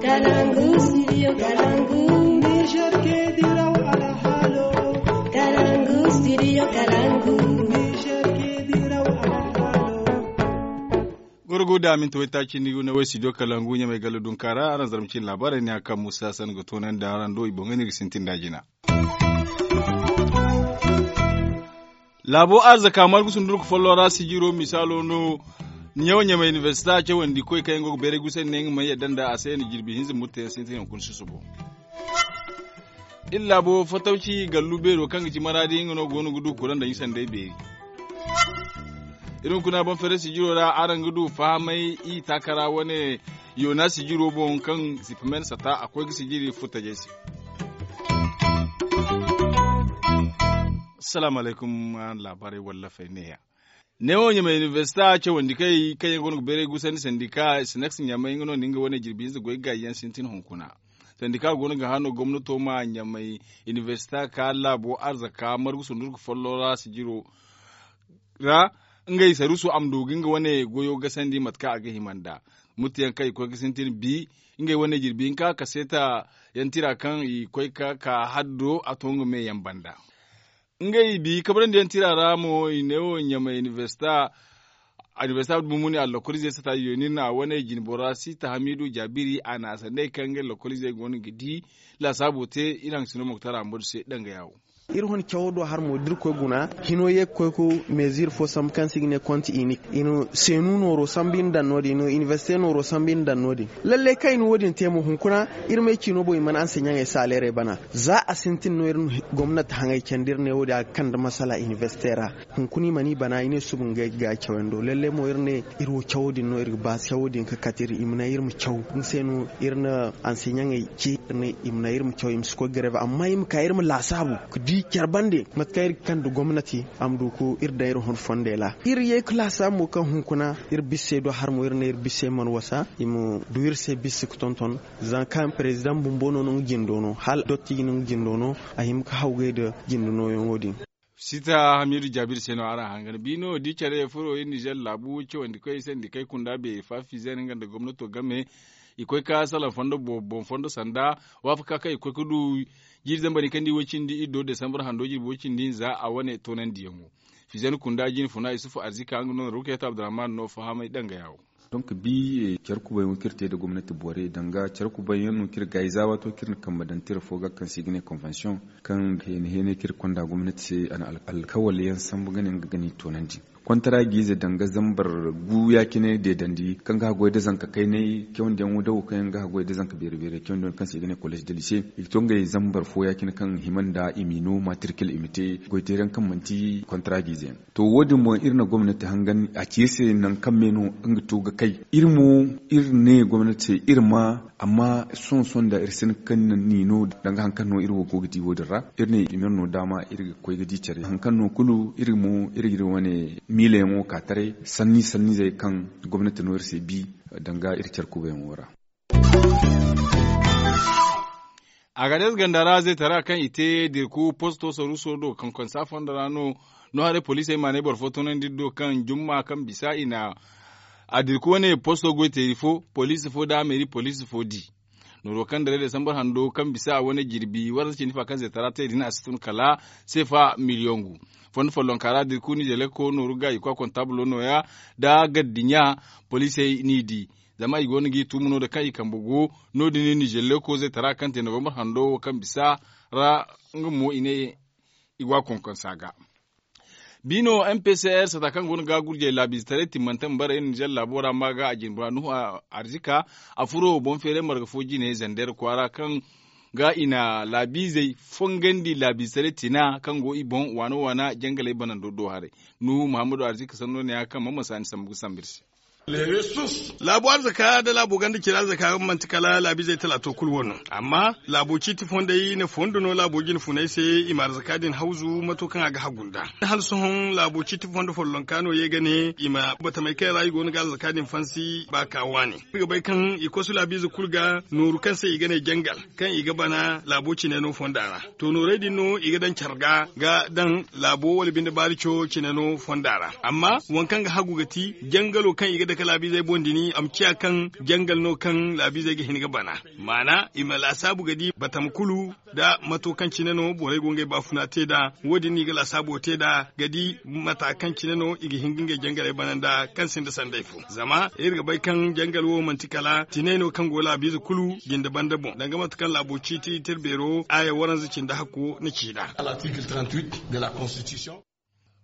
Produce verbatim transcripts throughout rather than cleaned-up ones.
Kalangu, studio Kalangu. Niger ke diraw alhalo. Kalangu, studio Kalangu. Niger ke diraw alhalo. Gorgo da minti waytaaci ni ne way studio Kalangu ɲamay gala dunkaara araŋ zarma cine laabaarey ne a kaŋ musa san ga toonandi araŋ do i boŋey no iri ga sintin da jina. Laabo arzaka margu sundurku follo ra sijiro misaalo no. Ɲawo ɲamay inibersita cawandi koy kaŋ yaŋ go ga beeray gusa ne nga mana yadda nda a se na jirbi hinza murte yaŋ sintin hunkuna susubo. Iri laabo fatawci gallu beero kaŋ ga ci maraadi nga no go no ga du kura nda ɲisandey beeri. Iri hunkuna boŋ fere sijiro ra araŋ ga du fahamay i taakara wane yoona sijiro boŋ kaŋ sipamen sata a koy ga sijiri furtajey se. Salaamu alaykum. Araŋ laabaarey wallafey neeya. Neewo ɲamay inibersita cawandi kay kaŋ yaŋ go no ga beeray gusandi sandika sinaks ɲamay nga no na nga wane jirbi hinza goy gaayi yaŋ sintin hunkuna. Sandika go no ga hano gomnato ma ɲamay inibersita ka laabo arzaka margu sundurku follo ra sijiro ra ngey sarusu a ma du ga nga wane goyo gasandi mate kaŋ a ga hima nda murte yaŋ kaŋ i koy ga sintin bi ngey wane jirbi hinka kaseeta yaŋ tira kaŋ i koy ka ka haddo a to nga me yaŋ banda. Ngey bi kabrandi yaŋ tira ra mo i ne wo ɲamay inibersita inibersita bumuni allakolize sata yoni na wane jinbora sita hamidu jabiri a na a sandey kaŋ ngey lakolize go no ga di laasaabo te iri haŋ sino moktar amadu se danga yawo. Iri hun cawo do har mo da iri koy guna hino ye ga koy ga mezir fo sambu kaŋ se i ga ne konti inik. Seenu nooro sambu iri na daŋ no- din inibersite nooro sambu iri na daŋ no- din. Lallay kaŋ i na wo- din te mo hunkuna iri ma ay ciino boŋ i mana anseɲaŋey saaleerey bana. Za a sintin no iri na gomnati haŋay candi iri ne wo- din a ga kande masala inibersite ra. Hunkuna i mana i bana i ne suba ngey ga ga cawyaŋ do lallay mo iri ne iri wo cawo din no iri ga ba cawo din ga kate iri i ma ne iri ma caw nga se no iri na anseɲaŋey ci iri ne i ma ne iri ma caw i ma si koy gareba amma i ma ka iri ma laasaabu ga di care bande mate kaŋ iri ga kande gomnati a ma du ga iri daŋ iri hun fondey ra. Iri ye ga laasaabu mo kaŋ hunkuna iri bissey do har mo iri ne iri bissey mana wasa i ma du iri se bisse ga tonton. Zama kaŋ perezidaŋ bumbo no no nga jindo no hala dottiji no nga jindo no a hima ga hawgay nda jinde nooyaŋo din. Sita hamidu jaabir se no araŋ hangan bi no di care furo iri nizer laabu cawandi koy sandi kay kunda beeri fa fizer nga nda gomnato game i koy ka salaŋ fondo boŋ fondo sanda waafaka kaŋ i koy ga du jiiri zambar ni kaŋ di way cindi iri do desambar hando jirbi way cindi hinza a wane toonandiyaŋo. Fizer kunda jine funa isufu arzika nga no rukayat abdurrahman no fahamay danga yawo. Donk bi care kubay yaŋ kaŋ iri te nda gomnati borey danga care kubay yaŋ no kaŋ iri gaayi za waato kaŋ iri na kambe daŋ tira fo ga kaŋ se i ga ne konvensiyoŋ kaŋ heene heene kaŋ iri konda gomnati se a na alkawal yaŋ sambu ga ne nga ga ni toonandi. Kontara ga ize danga zambar gu ya- cine deedandi kaŋ ga haggoy nda zanka kaynay cawandiyaŋo dawo kaŋ yaŋ ga haggoy nda zanka beeri beeri cawandiyaŋo kaŋ se i ga ne kolleez de lise i ga to ngey zambar fo ya- cine kaŋ hima nda i m'i no maatirkil i ma te goyteeri yaŋ kaŋ manti kontara ga ize yaŋ. To wo- din boŋ iri na gomnati hangan a ci iri se nangu kaŋ me no nga to ga kay. Iri mo iri ne gomnati se iri ma amma sohõ sohõ nda iri si hin kaŋ ni no danga hari kaŋ no iri wo go ga di wo- din ra. Iri ne i ma iri no daama iri ga koy ga di care hari kaŋ no kulu iri mo iri ga iri wane miilayaŋo ka taray sanni sanniizey kaŋ gomnati no iri se bi danga iri care kubayaŋo ra. Agades ganda ra zeetara kaŋ i te dirku posto saruuso do kaŋ konsa fondo ra no no haray poliisey maanay boro fo toonandi iri do kaŋ jumma kaŋ bisa i na a dirku wane posto goyteeri fo poliisi fo nda meeri poliisi fo di. Nooro kaŋ daray desambar hando kaŋ bisa a wane jirbi warza cindi fa kaŋ zeetara te din a si tun kala seefa miliyoŋ gu. Fondo follonka ra dirku nizeleko nooru ga i kwa kontabulo nooya nda gaddiɲa poliisey n'i di. Zama i go no g'i tumu no- din kaŋ i kambe go no- din nizeleko zeetara kaŋ te novembar hando wo kaŋ bisa ra nga mo i ne i go a konkonsa ga. Bi no mpcr sata kaŋ go no ga gurjey laabiize taray timmante ma bare nizer laabo ra ma ga a jinbura nuhu arzika a furo boŋ feeray marga fo jine zander kwaara kaŋ ga i na laabiizey fongandi laabiize taray tina kaŋ go i boŋ waana waana jangaley banando do haray. Nuhu muhammadu arzika sanno ne ya kaŋ man ma si a ni sambu ga sambu iri se. Laabu arzaka nda laabu ganda cira arzaka manti kala laabu izey talaato kulu wano. Amma laabu ciiti fondey na fondo no laabu jine funay se i ma arzaka din hawzu mato kaŋ a ga hagu nda hala sohõ laabu ciiti fondo follonka no ye ga ne i ma batamey kaŋ ra i go no ga arzaka din fansi ba ka waani. Iri ga bay kaŋ i kosu laabu ize kulu ga nooru kaŋ se i ga ne jangal kaŋ i ga bana laabo cine no fonda ra. To noorey din no i ga daŋ care ga ga daŋ laabo wala binde baari co cine no fonda ra. Amma waŋ kaŋ ga hagu ga ti jangalo kaŋ i ga daŋ Ka laabiizey boŋ dini a ma ciya kaŋ jangal no kaŋ laabiizey ga hin ga bana. Maana i ma laasaabu ga di batama kulu nda mato kaŋ cine no borey go ngey baafuna te nd'a. Wo-din no i ga laasaabo te nd'a ga di mata kaŋ cine no i ga hin ga ngey jangaley bana nda kaŋ sinda sanday fo. Zama iri ga bay kaŋ jangal wo manti kala tinay no kaŋ go laabiize kulu jinde banda boŋ danga mate kaŋ laabo ciiti tirbeero aaya waranza cindi hakko na ci nd'a.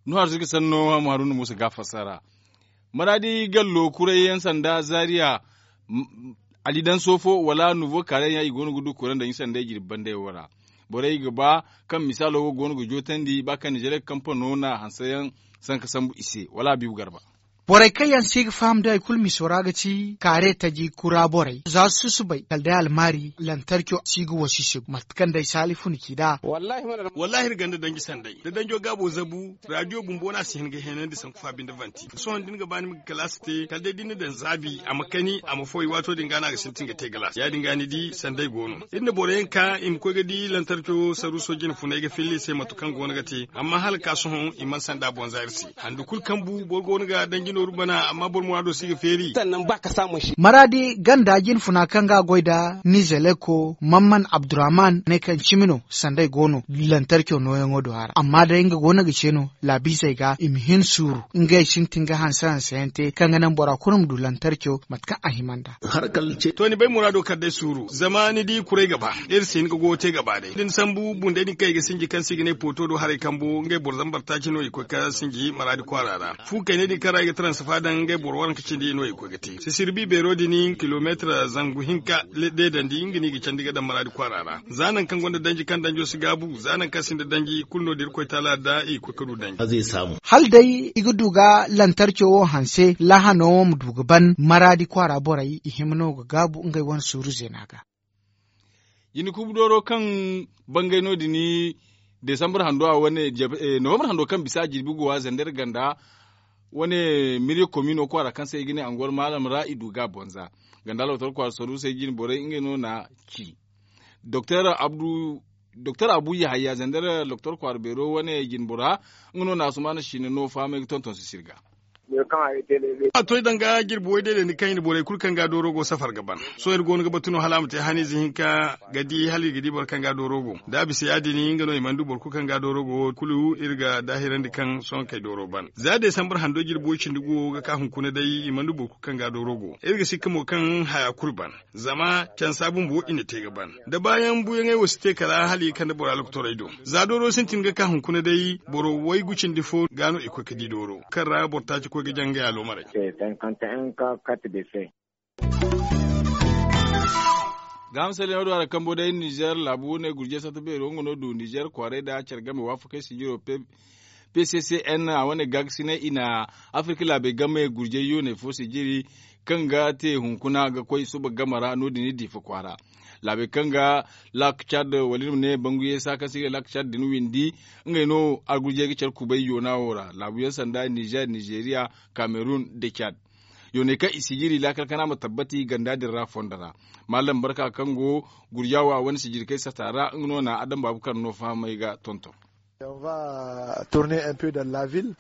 Nuhu arzika sanno, maaruna muusa ga a fassara. Maraadi gallo kurayyaŋ sanda zaariya, ali daŋ soofo wala nuuvo kaarayyaŋ i go no ga du kuraŋ daŋ i sanday jirbi bandey wo ra. Borey ga ba kaŋ misaalo wo go no ga jootandi ba kaŋ nizeer kampano na hanseyaŋ sanka sambu i se wala a biibu garba. Borey kaŋ yaŋ se i ga faham da hari kulu miso ra ga ti kaare taji kura borey za susubay kala day almaari lantarco si ga wasi se mate kaŋ day saali funa ci nd'a. Wallaahi iri ganda danji sanday da danjo gaabo zabu. Raadiyo bumbo no a si hin ga heenandi sanku fa binde vanti sohõ da ni ga ba ni ma ga kalaasi te kala day da ni na daŋ zaabi a ma kani a ma fooy waato din ga no a ga sintin ga te galaas ya- din ga ni di sanday go no. Iri na boro yaŋ ka i ma koy ga di lantarco saruuso jine funay ga filla i se mate kaŋ go no ga te amma hala ga ka sohõ i mana sanda boŋ za iri se. Handu kulu kaŋ bu boro go no ga danji nooru bana amma boro muraado si ga feeri. Maraadi ganda jinfuna kaŋ ga a goy nda nizeleko mamman abdurrahman ne kaŋ cimi no sanday go no lantarco nooyaŋo do a ra amma day nga go no ga ce no laabiizey ga i ma hin suuru ngey sintin ga hanse hanse yaŋ te kaŋ ga naŋ bora kulu ma du lantarco mate kaŋ a hima nd'a. To ni bay muraado kala day suuru zama ni di kuray ga ba iri si hin ga goyo te ga ba day da ni sambu bundey din kaŋ i ga sinji kaŋ se i ga ne pooto do haray kambo ngey boro zambar taaci no i koy ga sinji maraadi kwaara ra. Fu kayney din kaŋ ra i ga taransifa daŋ ngey boro waranka cindi no i koy ga te sisirbi beero din kilomeetir zangu hinka deedandi nga no i ga candi ga daŋ maraadi kwaara ra. Za nangu kaŋ gonda danji kaŋ danjo si gaabu za nangu kaŋ sinda danji kulu no da irkoy taala da i ga koy ga du danji. Hala day i ga du ga lantarco wo hanse laahano wo ma du ga ban maraadi kwaara borey i hima no ga gaabu ngey wane suuru zeena ga. Jina kuubu dooro kaŋ bangay no- din desambar hando a wane novambar hando kaŋ bisa a jirbi go a zander ganda wane mirya komino kwaara kaŋ se i ga ne angol maalam ra i du ga a bonza. Ganda lotor kwaara saruusey jine borey ngey no na ci doktor abu yahaya zander lotor kwaara beero wane jine bora nga no na asumaana siina no fahamay ga tonton sisir ga. A toy danga jirbi way day da ni kaŋ i na borey kulu kaŋ ga dooro go safar ga ban. Sohõ iri go no ga batu no hala a ma te haniize hinka ga di hala iri ga di boro kaŋ ga dooro go da a bisa ya- din nga no i mana du boro kulu kaŋ ga dooro go kulu iri ga daahirandi kaŋ sohõ kay dooro ban za desambar hando jirbi way cindi go ga ka hunkuna day i mana du boro kulu kaŋ ga dooro go iri ga sikka mo kaŋ haya kulu ban. Zama cansa bumbo i na te ga ban da baayaŋ buuyaŋey wo si te kala hala i ga kande bora lokotorey do. Za dooro sintin ga ka hunkuna day boro waygu cindi fo ga no i koy ga di dooro kaŋ ra boro taaci koy ga jaŋ ngey aloomarey. Gaaham salleeno do a ra kambo day nizer laabu wane gurjey satta beero nga no du nizer kwaaray nda care game waafakey sijiro pe p c c n a wane gaagasinay i na afirka laabey game gurjay yooney fo sijiri kaŋ ga te hunkuna ga koy suba game ra no- din i diifa kwaara. Laabey kaŋ ga laak cad wala iri ma ne banguyey saakaŋ se i ga laak cad din windi ngey no argujey ga care kubay yoona wo ra laabuyaŋ sanda nizer nizeriya kamerun nda cad. Yooney kaŋ i sijiri laakal kana ma tabbati ganda din ra fondo ra. Mallam barka kaŋ go gurja wo a wane sijiri kay sata ra nga no na adam baabu kaŋ no fahamay ga tonton.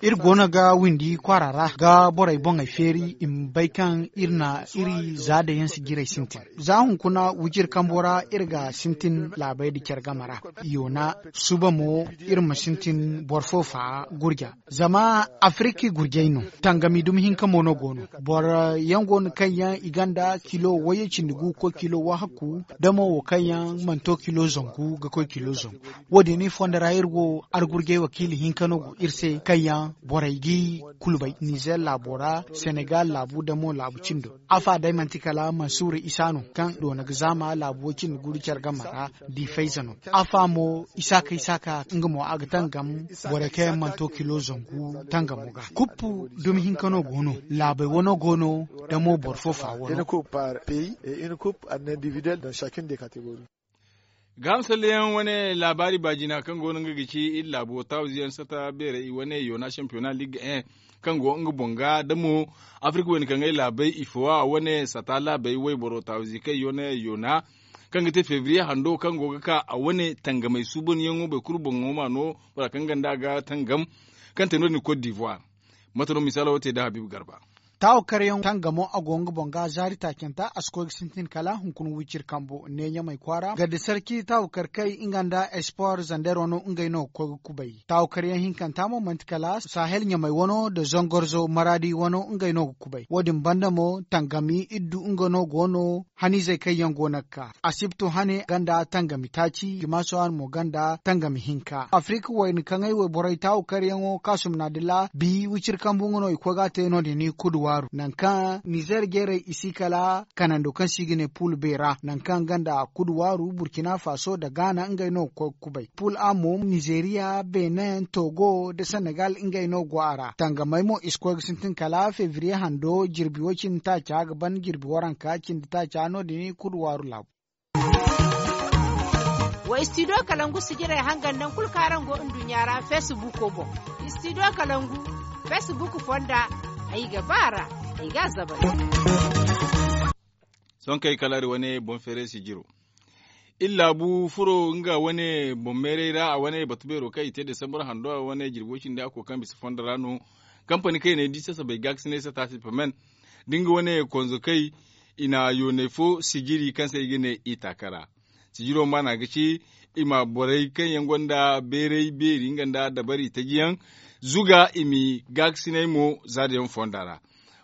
Iri go no ga windi kwaara ra ga borey boŋey feeri i ma bay kaŋ iri na iri za day yaŋ sijirey sintin. Za hunkuna wujir kambo ra iri ga sintin laabey nda care game ra. Yoona suba mo iri ma sintin boro fo fa gurja. Zama afiriki gurjay no tangami dumi hinka mo no go no. Boro yaŋ go no kaŋ yaŋ i gonda kilo wayye cindi gu ga koy kilo wahakku da mo wo kaŋ yaŋ mana to kilo zangu ga koy kilo zangu. Wo- din i fondo ra iri wo argurjay wakiila hinka no go iri se kaŋ yaŋ borey g'i kulu bay nizer laabo ra senegal laabu da mo laabu cindo. Afa day manti kala mansuura isa no kaŋ doona ga zaama laabu way cindi gu nda care game ra. Di fayza no. Afa mo isaaka isaaka nga mo a ga tangam borey kaŋ yaŋ mana to kilo zangu tangamo ga kuppu dumi hinka no go no. Laabey wano go no da mo boro fo fa wano. Gaaham salleyaŋ wane laabaari baajina kaŋ go no nga ga ci iri laabo tawziyaŋ sata beerey i wane yoona shampiyona liig en kaŋ go nga boŋ ga da mo afirka wayna kaŋ ay laabey i fowa wane sata laabey wayboro tawzi kaŋ yoona yoona kaŋ ga te febriye hando kaŋ go ga ka a wane tangamey suubanyaŋo boro kulu boŋo ma no bora kaŋ ganda ga tangam kaŋ te no- din kot divoir. Mate no misaalo wo te da habiibu garba. Taawakaryaŋ tangamo a go nga boŋ ga zaari taacanta a si koy ga sintin kala hunkuna wiciri kambo ne ɲamay kwaara garde sarki taawakarkey nga nda espor zander wano ngey no ga koy ga kubay. Taawakaryaŋ hinkanta mo manti kala sahel ɲamay wano nda zangorzo maraadi wano ngey no ga kubay wo- din banda mo tangami iddu nga no go no. Haniizey kaŋ yaŋ go no ga ka asibto hane ganda tangami taaci jimaaso hane mo ganda tangami hinka afirika wayna kaŋ ay wayborey taawakaryaŋo kaasum naadilla bi wiciri kambu nga no i koy ga a te no- din i kudu waaru nangu kaŋ nizer jeerey i si kala kanando kaŋ se i ga ne pul beera nangu kaŋ ganda kudu waaru burkina faso nda gaana ngey no ga koy ga kubay pul a mo nizeeriya benin togo nda senegal ngey no go a ra tangamey mo i si koy ga sintin kala febriye hando jirbi wo- cindi taaca ga ban jirbi waranka cindi taaca no- din i kudu waaru laabu. Wa istidiyo kalangu sijirey hangan naŋ kulu kaŋ araŋ go nduɲɲa ra feesibuuko boŋ. Istidiyo kalangu feesibuuku fonda ay ga ba a ra ay ga a zabay. Sohõ kaŋ ay kala iri wane boŋ feeray sijiro iri laabu furo nga wane boŋ meeray ra a wane batu beero kaŋ i te desambar hando a wane jirbo cindi hakko kaŋ bisa fondo ra no. Kampani kaŋ i ne di sasabay gaakasinay sata sipamen da nga wane konzokey i na yoonay fo sijiri kaŋ se i ga ne i taaka ra. Sijiro maana ga ci i ma borey kaŋ yaŋ gonda beeray beeri nga nda dabari taji yaŋ zuga i ma i gaakasinay mo zaada yaŋ fonda ra.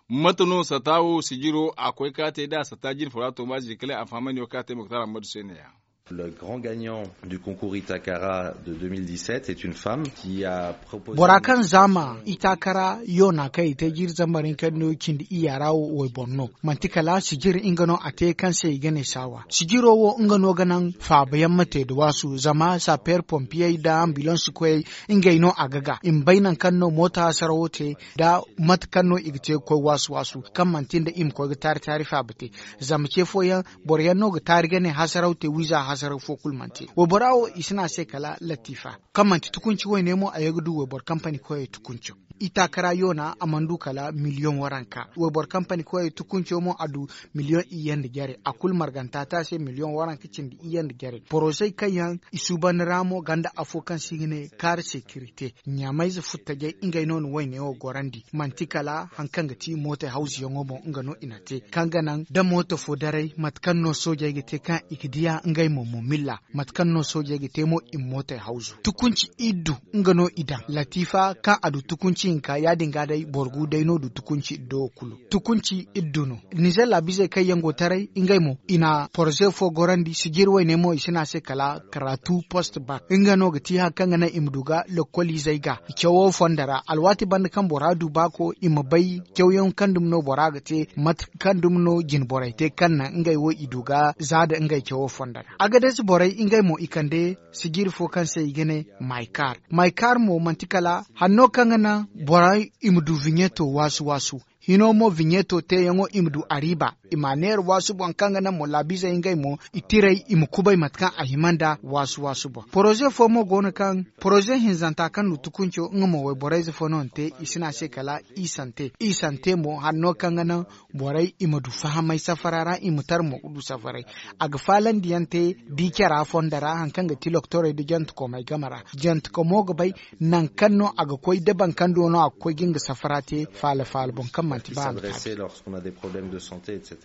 Mate no sata wo sijiro a koy ka te da sata jine fo ra to ma zikale a fahamandi wo ka te moktar ammadu se ne- ya. Le grand gagnant du concours itakara de deux mille dix-sept est une femme qui a proposé bora kaŋ zaama itakara yoona kaŋ i te jiiri zambar hinka no cindi iyya ra wo wayboro no. Manti kala sijir nga no a te kaŋ se i ga ne saawa sijiro wo nga no ga naŋ faabayaŋ ma te nda waasu zama sapeer pompiyey nda ambilans koyey ngey no a ga ga i ma bay nangu kaŋ no mooto hasarawo te nda mate kaŋ no i ga te ga koy waasu waasu kaŋ manti nda i ma koy ga taari taari faaba te. Zama ce fooyaŋ boro yaŋ no ga taari ga ne hasaraw te wiiza hasaraw fo kulu mana te waybora wo i si ne a se kala latiifa kaŋ manti tukunci wayne mo a ye ga du wayboro kampani koyey tukunco. Itaaka ra yoona a mana du kala miliyoŋ waranka wayboro kampani koyey tukunco mo a du miliyoŋ iyye nda jare a kulu marganta te a se miliyoŋ waranka cindi iyye nda jare porozey kaŋ yaŋ i suuban ra mo ganda afo kaŋ se i ga ne kaari sekirite ɲaamayze futtajey ngey no na wayne wo gorandi manti kala hari kaŋ ga ti mootey hawzuyaŋo boŋ nga no i na te kaŋ ga naŋ da mooto fo daray mate kaŋ no soojey ga te kaŋ i ga diya ngey mo mumilla mate kaŋ no soojey ga te mo i ma mootey hawzu tukunci iddu nga no i daŋ latiifa kaŋ a du tukunci hinka ya- din ga day boro gu day no du tukunci iddo wo kulu tukunci iddu no. Nizer laabizey kaŋ yaŋ go taray ngey mo i na poroze fo gorandi sijir wayne mo i si ne a se kala karatu post bak nga no ga ti hari kaŋ ga naŋ i ma du ga lokoliizey ga cawo fonda ra alwaati banda kaŋ bora du baako i ma bay cawyaŋ kaŋ dumi no bora ga te mate kaŋ dumi no jine borey te kaŋ naŋ ngey wo i du ga za nda ngey cawo fonda ra. Agadez borey ngey mo i kande sijiri fo kaŋ se i ga ne maykar maykar mo manti kala hanno kaŋ ga naŋ borey i ma du viɲeto waasu waasu hino mo viɲeto teeyaŋo i ma du ariiba i ma a neera waasu boŋ kaŋ ga naŋ mo laabizey ngey mo i tiray i ma kubay mate kaŋ a hima nda waasu waasu boŋ poroze fo mo go no kaŋ poroze hinzanta kaŋ du tukunco nga mo wayborayze fo no na te i si ne a se kala i sante i sante mo hanno kaŋ ga naŋ borey i ma du fahamay safara ra i ma tara mo ga du safaray a ga faalandiyaŋ te di cara fonda ra hari kaŋ ga ti loktorey nda jantekomey game ra jantekomo ga bay nangu kaŋ no a ga koy da boro kaŋ do no a ga koy ga nga safara te faala faala boŋ kaŋ manti ba a ma taabi.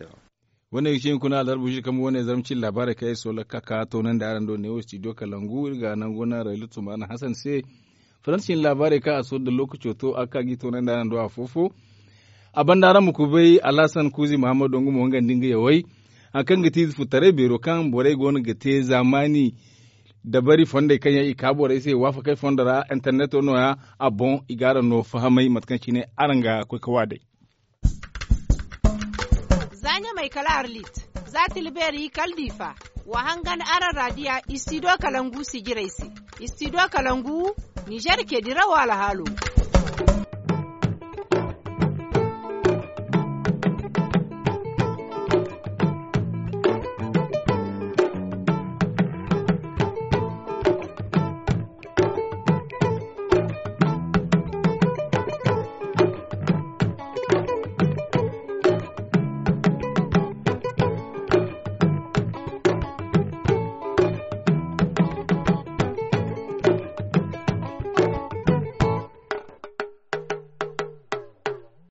Wane ga ci hunkuna alharbu ziri kambe wane zarma cine laabaarey kaŋ ay soola ga ka ka toonandi araŋ do neewo studio kalangu iri ga nangu naŋ rayla tumaana hasan se faransi cine laabaarey kaŋ a soola nda lookaco to a ga ka ga i toonandi araŋ do afo-fo. A banda araŋ ma kubay alhasan kuuzi mahammadu nga mo nga nda nga yawey hari kaŋ ga ti ize futtaray beero kaŋ borey go no ga te zaamaani dabari fondey kaŋ yaŋ i ka borey se waafakey fondo ra interneto no- ya a boŋ i ga araŋ no fahamay mate kaŋ cine araŋ ga koy ga waadey. Za ɲamay kala arlit za tilbeeri kala diifa wa hangan araŋ raadiya istido kalangu sijirey se. Istido kalangu nizer ke dirawo alhaalo.